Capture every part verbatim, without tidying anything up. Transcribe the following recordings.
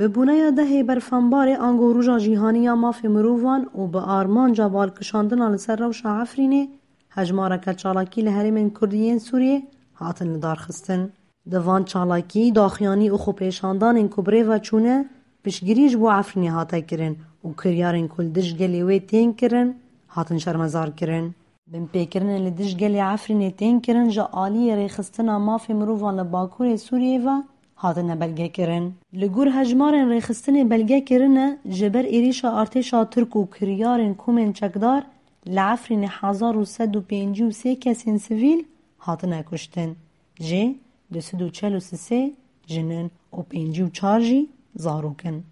Bi bûneya dehê berfembarê ango Roja Cîhanî ya Mafê Mirovan û bi armanca balkişandina li ser rewşa Efrînê, hejmareke çalakî li herêmên Kurdî yên Sûriyê hatin lidarxistin. Di van çalakî, daxuyanî û xwepêşandanên ku bi rê ve çûne, piştgirî ji bo Efrînê hate kirin û kiryarên ku li dij gelê wê tên kirin, hatin şermezar kirin. Binpêkirinên li dij gelê Efrînê tên kirin ji aliyê rêxistina mafê mirovan li Bakurê Sûriyê ve hatine belgekirin. Li gor hejmarên rêxistinê belge kirine, ji ber êrîşa artêşa Tirk û kiryarên komên çekdar li Efrînê hezar û sed û pêncî û sê kesên sivîl hatine kuştin. Jê du sed û çel û sê jin in û pêncî û çar jî zarok in.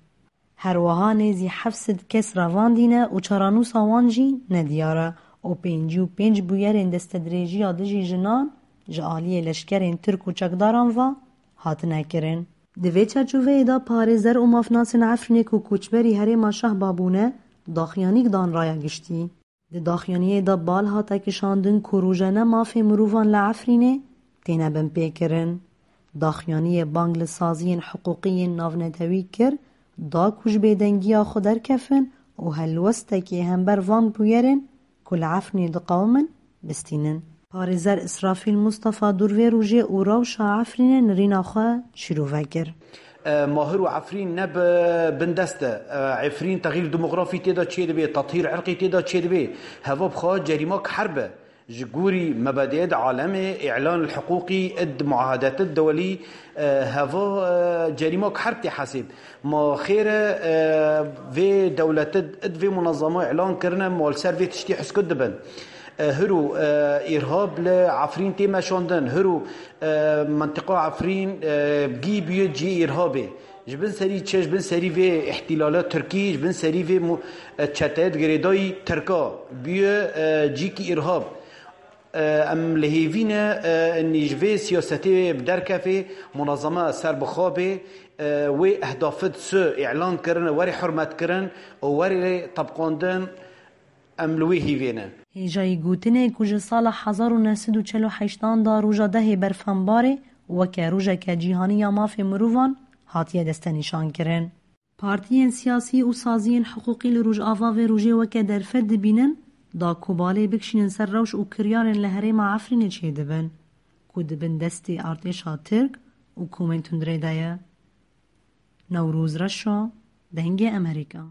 Her wiha nêzî heft sed kes revandîne û çarenûsa wan jî nediyar e û pêncî û pênc bûyerên destedirêjiya dijî jinan ji aliyê leşkerên Tirk û çekdaran ve hatine kirin. Di vê çarçoveyê de parêzer û mafnasên Efrînê ku koçberî herêma Şehba bûne, daxuyanîk dan raya giştî. Di daxuyaniyê de bal hate kişandin ku rojane mafê mirovan li Efrînê têne binpêkirin. Daxuyaniyê bang li saziyên hiqûqî yên navnetewî kir, da ku ji bêdengiya xwe derkefin û helwestekê hember van bûyerên ku li Efrînê diqewimin, bistînin. Parêzer Îsrafîl Mustafa dûr vê rojê û rewşa Efrînê nirîna xwe şîrove kir. E, Mahir û Efrîn ne bi bindest e. E, Efrîn texîr demografî tê de çêdibe, tethîr irqî tê de çêdibe. Heva bi xwe cerîmak herb e. Ji gorî mebediyê di alemê îlan li hiqûqî id muahedet id dewelî, e, heva, e, cerîmak herb tê hesêb. Ma xêr e, e, vê dewlet id, id vê munezama îlan kirine, ma li ser vê tiştî heskut dibin. E, hiro, e, îrhab li Efrîn tê meşandin. Hiro, e, mentiqa Efrîn, e, gî bûye cihê îrhabê. Ji bin serî çi? Ji bin serî vê îhtîlala Tirkî, ji bin serî vê mu-, e, çeteyê di girêdayî Tirka bûye, e, cîkî îrhab. E, em li hêvî ne, e, nî ji vê siyasetê bi derkefê, munezama ser bi xwe bê, e, wê ehdafit su îlan kirine, werê hurmet kirin û werê tebqandin. Em li wê hîvê ne. Hêjayî gotinê ku ji sala hezar û neh sed û çel û heştan da roja dehê berfembarê weke rojeke cîhanî ya mafê mirovan hatiye destenîşankirin. Partiyên siyasî û saziyên hiqûqî li Rojava vê rojê weke derfet dibînin, da ku balê bikişînin ser rewş û kiryarên li herêma Efrînê çêdibin, ku di bin destê artêşa Tirk û komên tundrê de ye. Newroz Reşo, Dengê Emerîka.